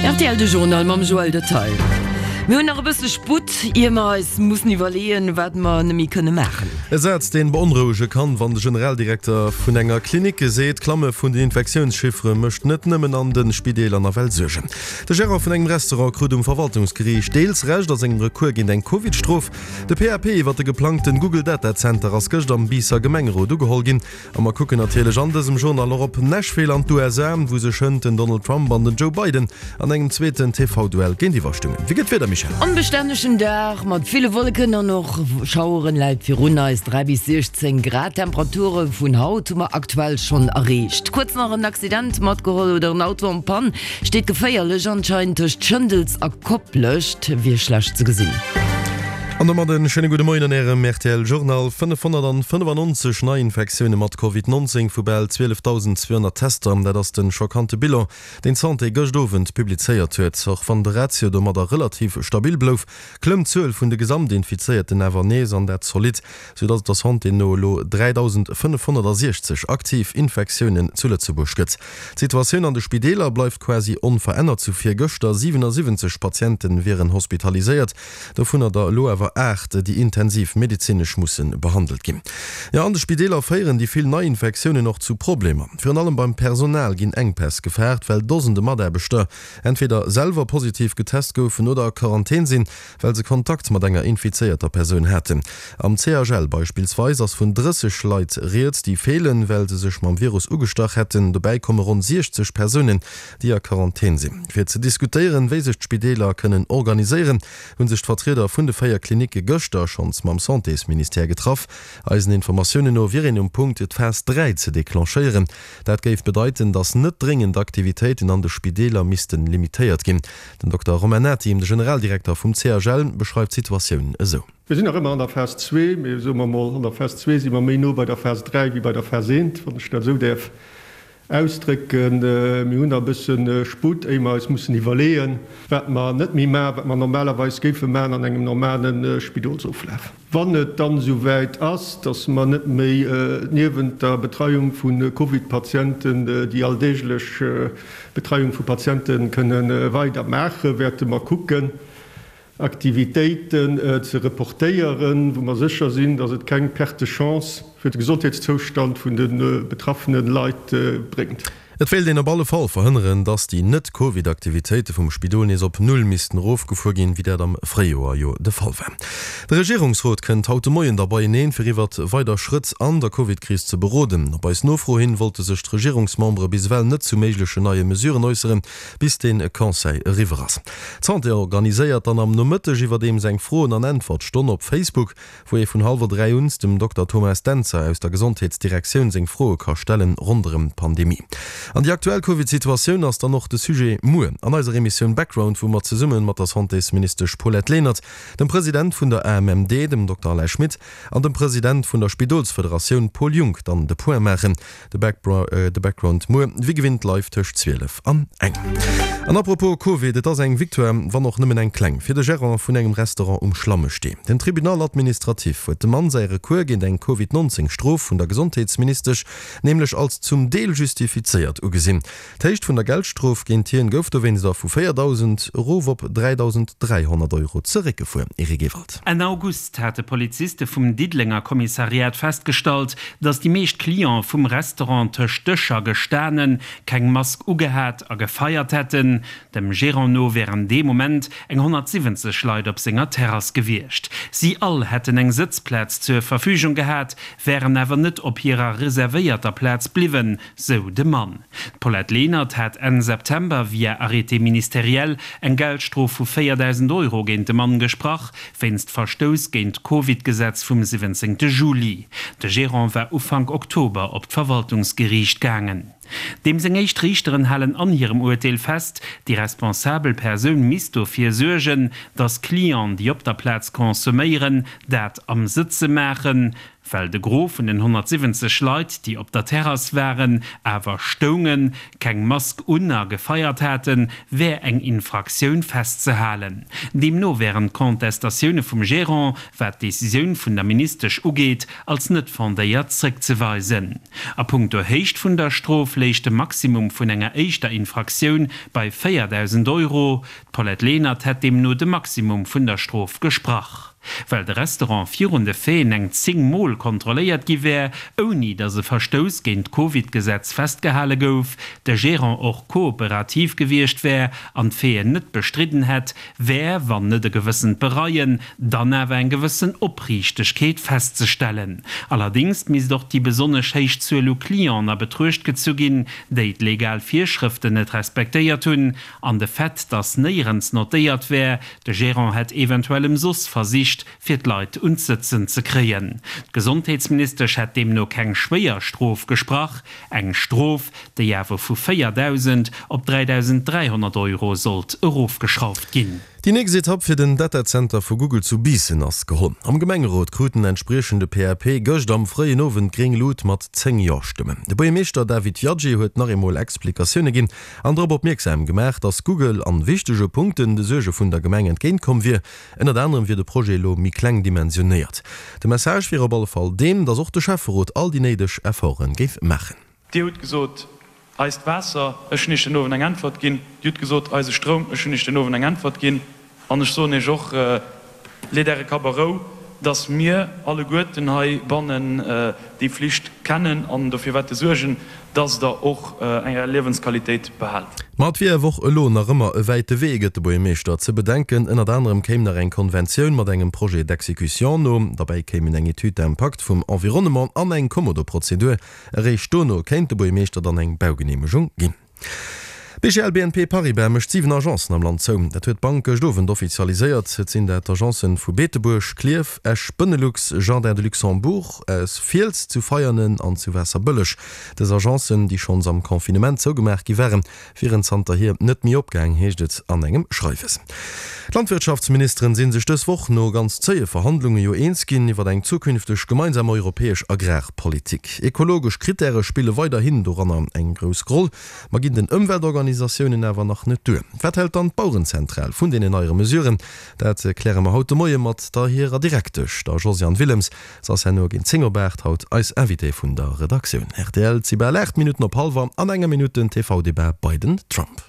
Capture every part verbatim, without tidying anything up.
R T L de Journal mam Joël Detail. Mir hunn nach e bësse Sputt, ier mer eis mussen iwwerleeën, wat mer net méi kënne maachen. E Saz, deen beonrouege kann, wann de Generaldirekter vun enger Klinik seet, d'Klamme vun den Infektiounschiffere mécht net nëmmen an de Spideeler nawell Suergen. De Gerant vun engem Restaurant krut um Verwaltungsgeriicht deels Recht a sengem Recours géint eng Covid-Strof. De P A P iwwer de geplangten Google Data Center ass gëscht am Biisser Gemengerot ugeholl ginn. A mer kucken natierlech an dësem Journal och op Nashville an d'U S A, wou sech hënt den Donald Trump an den Joe Biden an engem zweeten T V-Duell géintiwwer stungen. Wéi gëtt d'Wieder, Michèle? Onbestännegen Dag mat ville Wolleken an och Schaueren läit virun eis. dräi bis siechzéng Grad Temperature vun haut hu mer aktuell schonn erreecht. Kuerz nach en Accident matgeholl oder en Auto en panne steet geféierlech anscheinend tëscht Schëndels a Koplescht, wier schlecht ze gesinn. An domat en schéine gudde Moien an Ärem R T L Journal. fënnefhonnertfënnefannonzeg Neiinfektioune mat Covid neunzéng vu bal zwielefdausendzweehonnert Tester, dat ass de schockante Bilan, deen d'Santé gëscht Owend publizéiert huet. Och wann de Ratio domadder relativ stabil blouf, klëmmt d'Zuel vun de Gesamtinfizéierten awer nees, an dat zolidd, sou datt et der Santé no elo dräidausendfënnefhonnertsiechzeg aktiv Infektiounen zu Lëtzebuerg gëtt. D'Situatioun an de Spideeler bleift quasi onverännert zu virgëschter, siwenasiwwenzeg Patiente wieren hospitaliséiert, dovunner der elo awer aacht, déi intensiv medezinesch musse behandelt ginn. Jo, an de Spideeler féieren déi vill Neiinfektiounen och zu Problemer. Virun allem beim Personal ginn Enkpäss gefaart, well Dosende Mataarbechter entweder selwer positiv getest goufen oder a Quarantän sinn, well se Kontakt mat enger infizéierter Persoun haten. Am C H L beispillsweis ass vun drësseg Leit rieds, déi feelen, well se sech mam Virus ugestach hätten. Dobäi komme ronn siechzeg Persounen, déi a Quarantän sinn. Fir ze diskutéieren, wéi sech d'Spideeler kënnen organiséieren, hu sech d'Vertrieder vun de véier Klinicke gëschter schonns mam Santésministère getraff. Eisen Informatiounen no wier een um Punkt, d'Phas dräi ze declenchéieren. Dat géif bedeiten, datt net dréngend Aktivitéiten an de Spideeler misste limitéiert ginn. Den Dokter Romain Nati, de Generaldirekter vum C H L, beschreift d'Situatioun esou. Mir sinn nach ëmmer an der Phas zwee, mee soe mer mol, an der Phas zwee si mer méi no bei der Phas dräi wéi bei der Phas eent, wann ech dat esou däerf ausdrécken. Mir hunn nach e bësse Sputt, éier mer eis mussen iwwerleeën, wat mer net méi maachen, wat mer normalerweis géife maachen an engem normale Spidolsoflaf. Wann et dann esouwäit ass, dass mer net méi niewent der Betreiung vu Covid-Patienten déi alldeeglech Betreiung vu Patiente kënne weider maachen, wäerte mer kucken, Aktivitéiten ze reportéieren, wou mer sécher sinn, dass et keng Perte de chance fir de Gesondheetszoustand vun de betraffene Leit bréngt. Et wéilt een op alle Fall verhënneren, dass déi Net-Covid-Aktivitéite vum Spidol nees op Null missten erofgefuer ginn, wéi dat am Fréijoer jo de Fall war. De Regierungsrot kënnt haut de Moien da beieneen, fir iwwert weider Schrëtt an der Covid-Kris ze beroden. Op eis Nofro hin wollte sech d'Regierungsmembere bis ewell net zu méiglechen neie Mesuren äusseren, bis de Conseil eriwwer ass. D'Santé organiséiert dann am Nomëtteg iwwerdeems eng Froen an Äntwertstonn op Facebook, wou ee vun hallwer dräi un dem Dokter Thomas Dentzer aus der Gesondheetsdirektioun seng Froe ka stellen ronderëm d'Pandemie. An déi aktuell Covid-Situatioun ass dann och de Sujet muer an eiser Emissioun Background, wou mer zesumme mat der Santésministesch Paulette Lenert, dem President vun der A M M D, dem Dokter Alain Schmit, an dem President vun der Spidolsfederatioun Paul Junck dann de Point maachen. De Background muer wéi gewinnt live tëscht zwielef an eng. An apropos Covid, et ass eng Victoire, wann och nëmmen eng kleng, fir de Gerant vun engem Restaurant um Schlammestee. Den Tribunal administratif huet dem Mann säi Recours géint eng Covid neunzéng Strof vun der Gesondheetsministesch nämlech als zum Deel justifizéiert ugesinn. D'Héicht vun der Geldstrof géint hien gouf dowéinst vu véierdausend erof op dräidausend dräihonnert Euro zeréckgefuer. Eric Ewald. Enn August hate Poliziste vum Diddelenger Kommissariat festgestallt, datt déi meescht Clientë vum Restaurant tëscht Dëscher gestanen, keng Mask ugehat a gefeiert hätten. Dem Gerant no wären dee Moment eng honnertsiwwenzeg Leit op senger Terrass gewiescht. Si all hätten eng Sëtzplaz zur Verfügung gehat, wären awer net op hirer reservéierter Plaz bliwwen, sou de Mann. D'Paulette Lenert hat Enn September via Arrêté ministériel eng Geldstrof vu véierdausend Euro géint de Mann gesprach, wéinst Verstouss géint d'Covid-Gesetz vum siwwenzéngte Juli. De Gerant war Ufank Oktober op d'Verwaltungsgeriicht gaangen. Deem seng éischt Riichteren halen an hirem Urteel fest, déi responsabel Persoun misst dofir suergen, datt Clienten, déi op der Plaz consomméieren, dat am Sëtze maachen. Well de Gros vun den honnertsiwwenzeg Leit, déi op der Terrass waren, awer stoungen, keng Mask un a gefeiert haten, wär eng Infraktioun festzehalen. Deemno wären d'Contestatioune vum Gerant, wat d'Decisioun vun der Ministesch ugeet, als net fondéiert zréckzeweisen. A punkto Héicht vun der Strof léich de Maximum vun enger éischter Infraktioun bei véierdausend Euro. D'Paulette Lenert hätt deemno de Maximum vun der Strof gesprach. Well de Restaurant virun de Faiten eng zéng Mol kontrolléiert gi wär, ouni datt e Verstouss géint d'Covid-Gesetz festgehale gouf, de Gerant och kooperativ gewiescht wär an d'Faiten net bestridden hätt, wär, wann net e gewëssent Bereien, dann awer eng gewëssen Opriichtegkeet festzestellen. Allerdéngs misst och déi besonnesch héich Zuel u Clienten a Betruecht gezu ginn, déi d'legal Virschrëften net respektéiert hunn, an de Fait, datt néierens notéiert wär, de Gerant hätt eventuell ëmsoss versicht, fir d'Leit un d'Sëtzen ze kréien. D'Gesondheetsministesch hätt deemno keng schwéier Strof gesprach, eng Strof, déi awer vu véierdausend op dräidausend dräihonnert Euro sollt erofgeschrauft ginn. Déi nächst Etapp fir den Datazenter vu Google zu Biissen ass geholl. Am Gemengerot krut den entspriechende P A P gëscht am fréien Owend gréng Lut mat zéng Jo-Stëmmen. De Buergermeeschter David Viaggi huet nach eemol Explikatioune ginn an drop opmierksam gemaach, datt Google an wichtege Punkten de Suerge vun der Gemeng entgéint komm wier. Ënnert anerem wier de Projet elo méi kleng dimensionéiert. De Message wier op alle Fall deen, datt och de Schäfferot all déi néideg Efforte géif maachen. Dir hutt gesot, eist Waasser, ech hunn Iech den Owend eng Äntwert ginn. Dir hutt gesot, eise Stroum, ech hunn Iech den Owend eng Äntwert ginn. An ech soen Iech och, leet Äre Kapp a Rou, dass mir alleguerten heibannen déi Flicht kennen an dofir wäerte suergen, dass Der och Är Liewensqualitéit behaalt. Ma et wier awer och elo nach ëmmer e wäite Wee, gëtt de Buergermeeschter ze bedenken. Ënnert anerem kéim nach eng Konventioun mat engem Projet d'exécution no. Derbäi kéimen eng Étude d'impact vum Environnement an eng Kommodo-Prozedur. Eréischt dono kéint de Buergermeeschter dann eng Baugeneemegung ginn. B G L B N P Paribas mécht siwen Agencen am Land zou. Dat huet d'Bank gëscht Owend offizialiséiert. Et sinn dat d'Agencen vu Beetebuerg, Klierf, Esch, Benelux, Jardins de Luxembourg, aus Fiels, zu Veianen an zu Waasserbëlleg. Dës Agencen, déi schonns am Confinement zougemaach gi waren, wieren zanterhier net méi opgaang, heescht et an engem Schreiwes. D'Landwirtschaftsministeren si sech dës Woch no ganz zéie Verhandlunge jo eens ginn iwwer eng zukünfteg gemeinsam europäesch Agrarpolitik. Ekologesch Krittäre spille weiderhin doranner eng grouss Roll, ma ginn den Ëmweltorganisatiounen awer nach net duer. Wat hält dann d'Bauerenzentral vun deenen neie Mesuren? Dat kläre mer haut de Moie mat der hirer Direktesch, der Josiane Willems. Se ass herno géint zéng op aacht haut eis Invitée vun der Redaktioun. Rtl, 't si bal aacht Minutten op hallwer, an enger Minutt den T V-Debat Biden-Trump.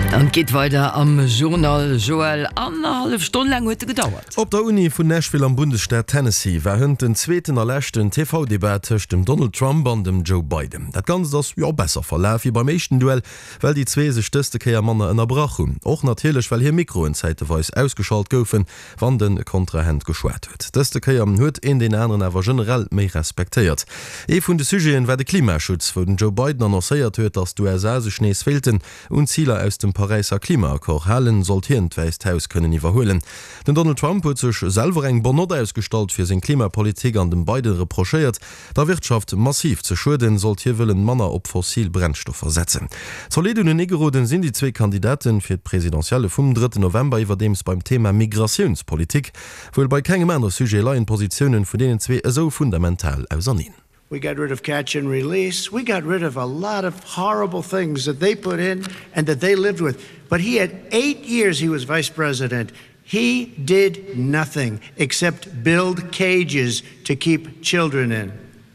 An et geet weider am Journal, Joël. Annerhallef Stonn laang huet e gedauert. Op der Uni vun Nashville am Bundesstaat Tennessee war hënt den zweeten a leschten T V-Debat tëscht dem Donald Trump an dem Joe Biden. Dat Ganzt ass, jo, besser verlaf wéi beim éischten Duell, well déi zwee sech dëste Kéier manner ënnerbrach hunn. Och natierlech, well hir Mikroen zäiteweis ausgeschalt goufen, wann de Kontrahent geschwat huet. Dëste Kéier huet een deen aneren awer generell méi respektéiert. Ee vun de Sujeten war de Klimaschutz, wou den Joe Biden annoncéiert huet, datt d'U S A sech nees wéilten un d'Ziler aus dem Paräisser Klimaaccord halen, sollt hien d'Wäisst Haus kënnen iwwerhuelen. Den Donald Trump huet sech selwer eng bonne Nott ausgestallt fir seng Klimapolitik an dem Biden reprochéiert, der Wirtschaft massiv ze schueden, sollt hie wëllen manner op fossil Brennstoffer setzen. Zolidd uneneegeroden sinn déi zwee Kandidaten fir d'Presidentielle vum drëtten November iwwerdeems beim Thema Migratiounspolitik. Wuel bei kengem anere Sujet leien d'Positiounen vun deenen zwee esou fundamental auserneen. We got rid of catch and release. We got rid of a lot of horrible things that they put in and that they lived with. But he had eight years he was vice president. He did nothing except build cages to keep children in.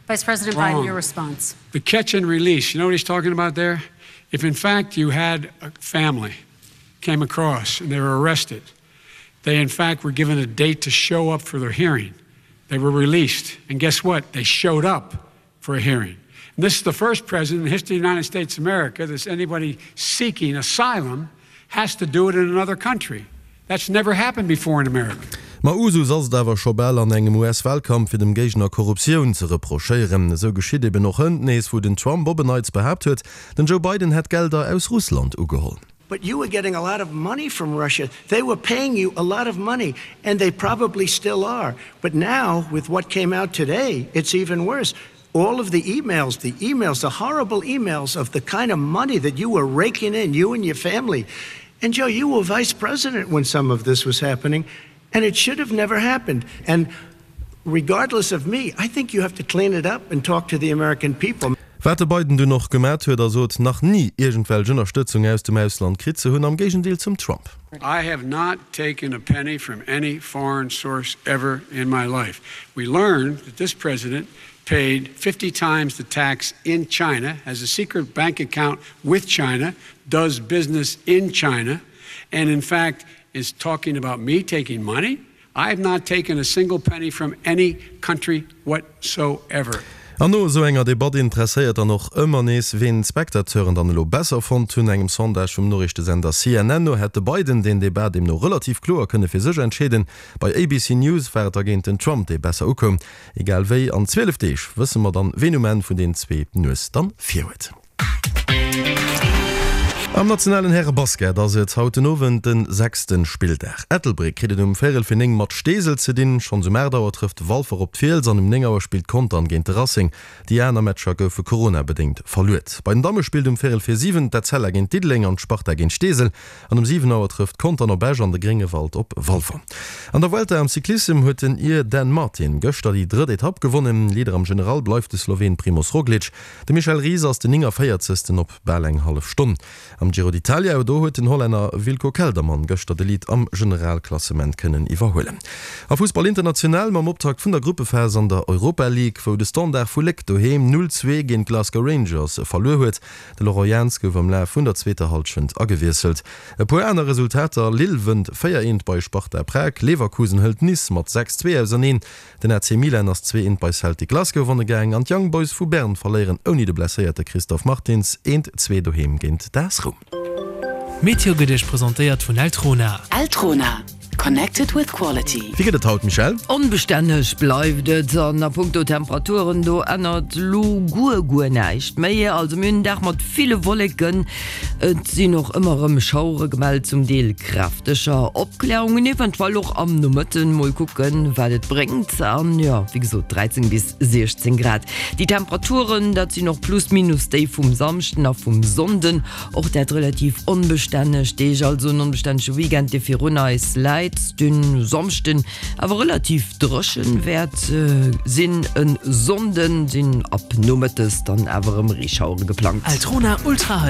Vice President Biden, Wrong. your response. The catch and release, you know what he's talking about there? If in fact you had a family came across and they were arrested, they in fact were given a date to show up for their hearing. They were released. And guess what? They showed up for a hearing. And this is the first president in the history of the United States of America that anybody seeking asylum has to do it in another country. That's never happened before in America. Ma Usus ass et awer scho bal an engem U S-Walkampf fir dem Géigner Korruptioun ze reprochéieren. Esou geschitt eben och hënt nees, wou den Trump op en Neits behaapt huet, den Joe Biden hätt Gelder aus Russland ugeholl. But you were getting a lot of money from Russia. They were paying you a lot of money, and they probably still are. But now, with what came out today, it's even worse. All of the emails, the emails, the horrible emails of the kind of money that you were raking in, you and your family. And Joe, you were vice president when some of this was happening, and it should have never happened. And Regardless of me, I think you have to clean it up and talk to the American people. Wat de Biden dunn och gemat huet a sot, nach ni iergendwelch Ënnerstëtzung aus dem Ausland kritt ze hunn, am Géigendeel zum Trump. I have not taken a penny from any foreign source ever in my life. We learned that this president paid fifty times the tax in China, has a secret bank account with China, does business in China, and in fact is talking about me taking money? I have not taken a single penny from any country whatsoever. An no esou enger Debatt interesséiert dann och ëmmer nees, ween d'Spectateuren dann elo besser fonnt hunn. Engem Sondage vum Noriichtesender C N N no hätt de Biden deen Debat deemno relativ kloer kënne fir sech entscheeden. Bei A B C News war et dergéint den Trump, dee besser ukoum. Egal wéi, an zwielef Deeg wësse mer dann, ween um Enn vun den zwee d'Nues dann vir huet. Am nationalen Häre-Basket ass et haut den Owend de sechste Spilldag. Ettelbréck kritt et um véierel fir néng mat Steesel ze dinn, schonns um aacht Auer trëfft Walfer op d'Fiels an um néng Auer spillt Contern géint de Racing. Déi aner Matcher goufe coronabedéngt verluet. Bei den Damme spillt um véierel fir siwen d'Etzella géint Diddeleng an d'Sparta géint Steesel an um siwen Auer trëfft Contern op Esch an de Gréngewald op Walfer. An der Vuelta am Cyclissem huet den Ir Dan Martin gëschter déi drëtt Etapp gewonnen. Leader am General bleift de Sloween Primoz Roglic. De Michel Ries ass den nénganvéierzegsten op bal eng hallef Stonn. Am Giro d'Italia do huet den Hollänner Wilco Kelderman gëschter de Lead am Generalklassement kënnen iwwerhuelen. A Fussball international mam Optakt vun der Gruppephas an der Europa League, wou de Standard vu Léck doheem null zwee géint Glasgow Rangers verluer huet. De Laurent Jans gouf am Laf vun der zweeter Hallschent agewiesselt. E puer aner Resultater, Lille wënnt véier eent bei Sparta Prag, Leverkusen hëlt Nice mat sechs zwee auserneen, den A C Milan ass zwee eent bei Celtic Glasgow wonne gaang an d'Young Boys vu Bern verléieren ouni de blesséierte Christophe Martins eent zwee doheem géint d'A S Roum. Meteo gëtt Iech presentéiert vun Eltrona. Eltrona, connected with quality. Wéi gëtt et haut, Michèle? Onbestänneg bleift et an a punkto Temperaturen do ännert lo guer guer näischt méi. Also mir hunn en Dag mat ville Wolleken, et sinn och ëmmer erëm Schauere gemellt, zum Deel kräfteger, Opklärungen eventuell och am Nomëtten. Mol kucken wat et bréngt an jo wéi gesot dräizéng bis siechzéng Grad. Déi Temperaturen dat sinn och plus minus déi vum Samschden a vum Sonnden, och dat relativ onbestänneg Deeg, also en onbestännege Weekend dee virun eis läit. Den Samschden awer relativ dréchen wäert sinn, e Sonnden sinn ab nomëttes dann awer erëm Reeschauere geplangt. Eltrona Ultra.